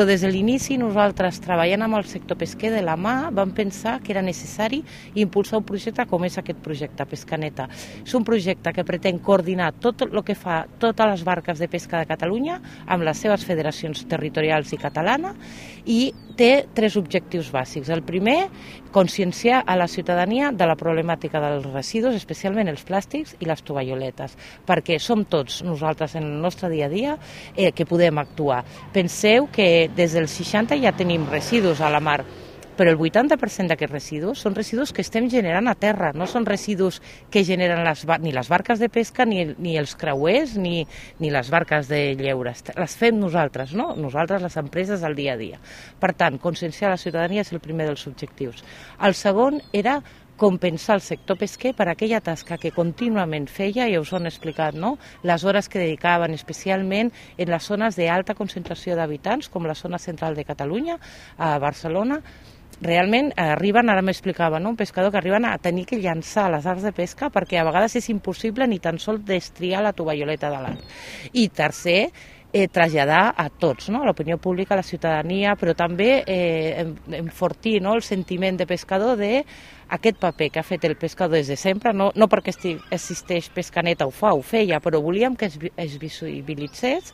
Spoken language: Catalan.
Però des de l'inici nosaltres, treballant amb el sector pesquer de la mà, vam pensar que era necessari impulsar un projecte com és aquest projecte Pescaneta. És un projecte que pretén coordinar tot el que fa totes les barques de pesca de Catalunya amb les seves federacions territorials i catalana i té 3 objectius bàsics. El primer, conscienciar a la ciutadania de la problemàtica dels residus, especialment els plàstics i les tovalloletes, perquè som tots nosaltres en el nostre dia a dia que podem actuar. Penseu que des dels 60 ja tenim residus a la mar, però el 80% d'aquests residus són residus que estem generant a terra, no són residus que generen ni les barques de pesca, ni els creuers, ni les barques de lleure. Les fem nosaltres, no? Nosaltres, les empreses, al dia a dia. Per tant, conscienciar la ciutadania és el primer dels objectius. El segon era compensar el sector pesquer per aquella tasca que contínuament feia, ja us ho han explicat, no? Les hores que dedicaven especialment en les zones d'alta concentració d'habitants, com la zona central de Catalunya, a Barcelona. Realment arriben, ara m'explicava, no? Un pescador que arriben a tenir que llançar les arts de pesca perquè a vegades és impossible ni tan sols destriar la tovalloleta de l'art. I tercer, traslladar a tots, no? A l'opinió pública, a la ciutadania, però també enfortir, no? El sentiment de pescador d'aquest paper que ha fet el pescador des de sempre, no perquè existeix Pescaneta ho feia, però volíem que es visibilitzés